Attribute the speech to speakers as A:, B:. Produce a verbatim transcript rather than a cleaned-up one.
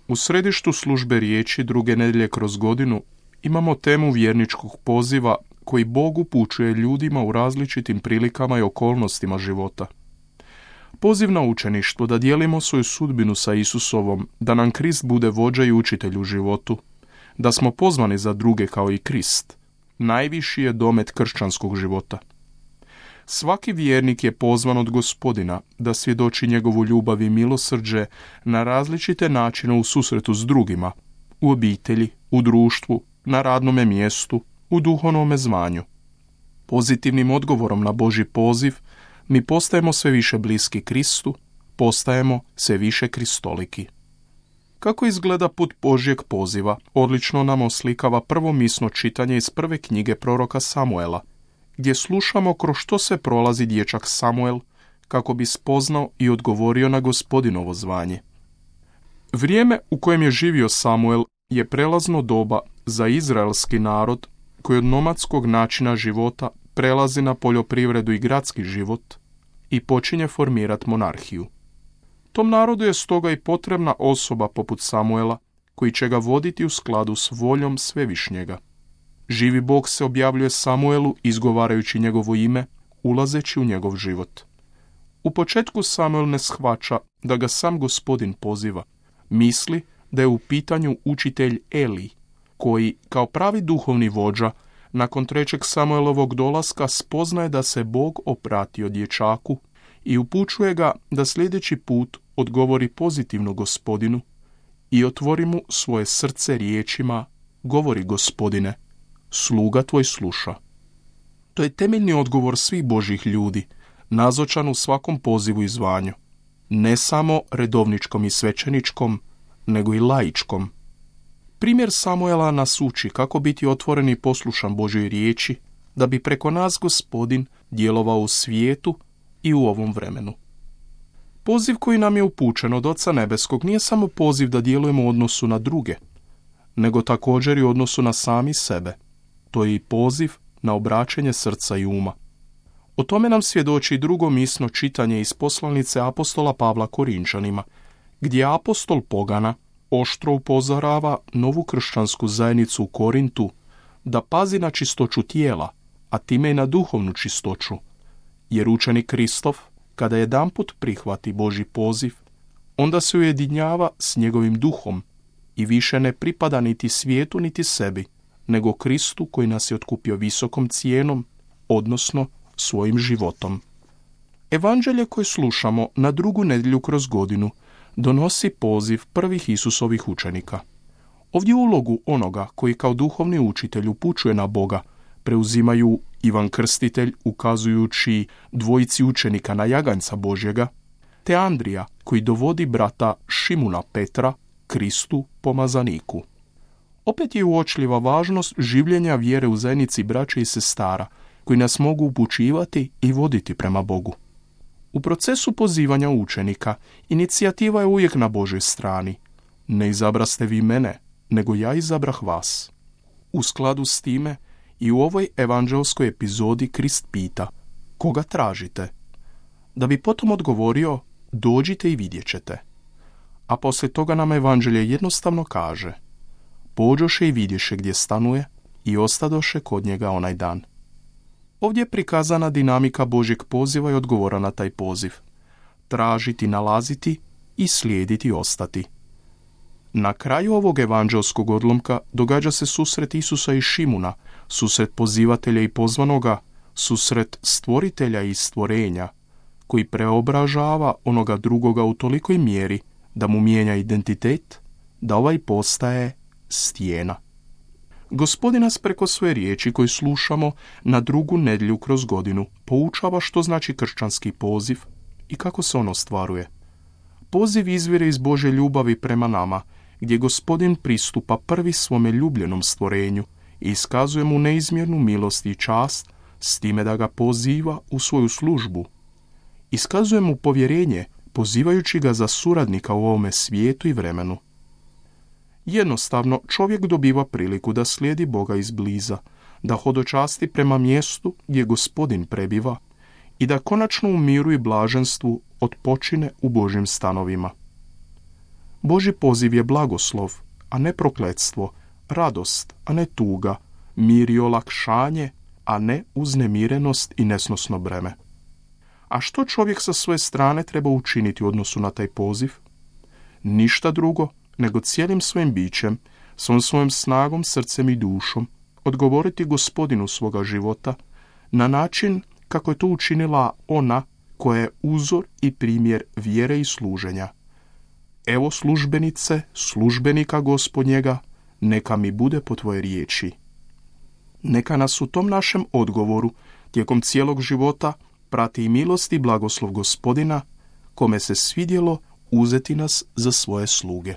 A: U središtu službe riječi druge nedjelje kroz godinu imamo temu vjerničkog poziva koji Bog upućuje ljudima u različitim prilikama i okolnostima života. Poziv na učeništvo da dijelimo svoju sudbinu sa Isusovom, da nam Krist bude vođa i učitelj u životu, da smo pozvani za druge kao i Krist, najviši je domet kršćanskog života. Svaki vjernik je pozvan od Gospodina da svjedoči njegovu ljubav i milosrđe na različite načine u susretu s drugima, u obitelji, u društvu, na radnome mjestu, u duhovnome zvanju. Pozitivnim odgovorom na Božji poziv mi postajemo sve više bliski Kristu, postajemo sve više kristoliki. Kako izgleda put Božjeg poziva, odlično nam oslikava prvo misno čitanje iz prve knjige proroka Samuela, gdje slušamo kroz što se prolazi dječak Samuel kako bi spoznao i odgovorio na Gospodinovo zvanje. Vrijeme u kojem je živio Samuel je prelazno doba za izraelski narod koji od nomadskog načina života prelazi na poljoprivredu i gradski život i počinje formirati monarhiju. Tom narodu je stoga i potrebna osoba poput Samuela koji će ga voditi u skladu s voljom Svevišnjega. Živi Bog se objavljuje Samuelu izgovarajući njegovo ime, ulazeći u njegov život. U početku Samuel ne shvaća da ga sam Gospodin poziva. Misli da je u pitanju učitelj Eli, koji, kao pravi duhovni vođa, nakon trećeg Samuelovog dolaska spoznaje da se Bog opratio dječaku i upućuje ga da sljedeći put odgovori pozitivno Gospodinu i otvori mu svoje srce riječima: govori Gospodine, sluga tvoj sluša. To je temeljni odgovor svih Božjih ljudi, nazočan u svakom pozivu i zvanju, ne samo redovničkom i svećeničkom, nego i laičkom. Primjer Samuela nas uči kako biti otvoren i poslušan Božjoj riječi, da bi preko nas Gospodin djelovao u svijetu i u ovom vremenu. Poziv koji nam je upućen od Oca Nebeskog nije samo poziv da djelujemo u odnosu na druge, nego također i u odnosu na sami sebe. To je i poziv na obraćanje srca i uma. O tome nam svjedoči drugo misno čitanje iz poslanice apostola Pavla Korinčanima, gdje apostol Pogana oštro upozorava novu kršćansku zajednicu u Korintu da pazi na čistoću tijela, a time i na duhovnu čistoću, jer učenik Kristov, kada jedanput prihvati Božji poziv, onda se ujedinjava s njegovim duhom i više ne pripada niti svijetu niti sebi, nego Kristu koji nas je otkupio visokom cijenom, odnosno svojim životom. Evanđelje koje slušamo na drugu nedjelju kroz godinu donosi poziv prvih Isusovih učenika. Ovdje ulogu onoga koji kao duhovni učitelj upućuje na Boga preuzimaju Ivan Krstitelj ukazujući dvojici učenika na jaganjca Božjega, te Andrija koji dovodi brata Šimuna Petra Kristu pomazaniku. Opet je uočljiva važnost življenja vjere u zajednici braće i sestara koji nas mogu upućivati i voditi prema Bogu. U procesu pozivanja učenika inicijativa je uvijek na Božoj strani. Ne izabraste vi mene, nego ja izabrah vas. U skladu s time i u ovoj evanđelskoj epizodi Krist pita: koga tražite? Da bi potom odgovorio: dođite i vidjet ćete. A poslije toga nam evanđelje jednostavno kaže: pođoše i vidješe gdje stanuje i ostadoše kod njega onaj dan. Ovdje je prikazana dinamika Božjeg poziva i odgovora na taj poziv. Tražiti, nalaziti i slijediti, ostati. Na kraju ovog evanđelskog odlomka događa se susret Isusa i Šimuna, susret pozivatelja i pozvanoga, susret stvoritelja i stvorenja, koji preobražava onoga drugoga u tolikoj mjeri da mu mijenja identitet, da ovaj postaje stijena. Gospodin nas preko svoje riječi koju slušamo na drugu nedjelju kroz godinu poučava što znači kršćanski poziv i kako se on ostvaruje. Poziv izvire iz Božje ljubavi prema nama, gdje Gospodin pristupa prvi svome ljubljenom stvorenju i iskazuje mu neizmjernu milost i čast s time da ga poziva u svoju službu. Iskazuje mu povjerenje pozivajući ga za suradnika u ovome svijetu i vremenu. Jednostavno, čovjek dobiva priliku da slijedi Boga izbliza, da hodočasti prema mjestu gdje Gospodin prebiva i da konačno u miru i blaženstvu otpočine u Božjim stanovima. Božji poziv je blagoslov, a ne prokletstvo, radost, a ne tuga, mir i olakšanje, a ne uznemirenost i nesnosno breme. A što čovjek sa svoje strane treba učiniti u odnosu na taj poziv? Ništa drugo nego cijelim svojim bićem, svom svojom snagom, srcem i dušom, odgovoriti Gospodinu svoga života na način kako je to učinila ona koja je uzor i primjer vjere i služenja. Evo službenice, službenika Gospodnjega, neka mi bude po tvoje riječi. Neka nas u tom našem odgovoru tijekom cijelog života prati i milost i blagoslov Gospodina, kome se svidjelo uzeti nas za svoje sluge.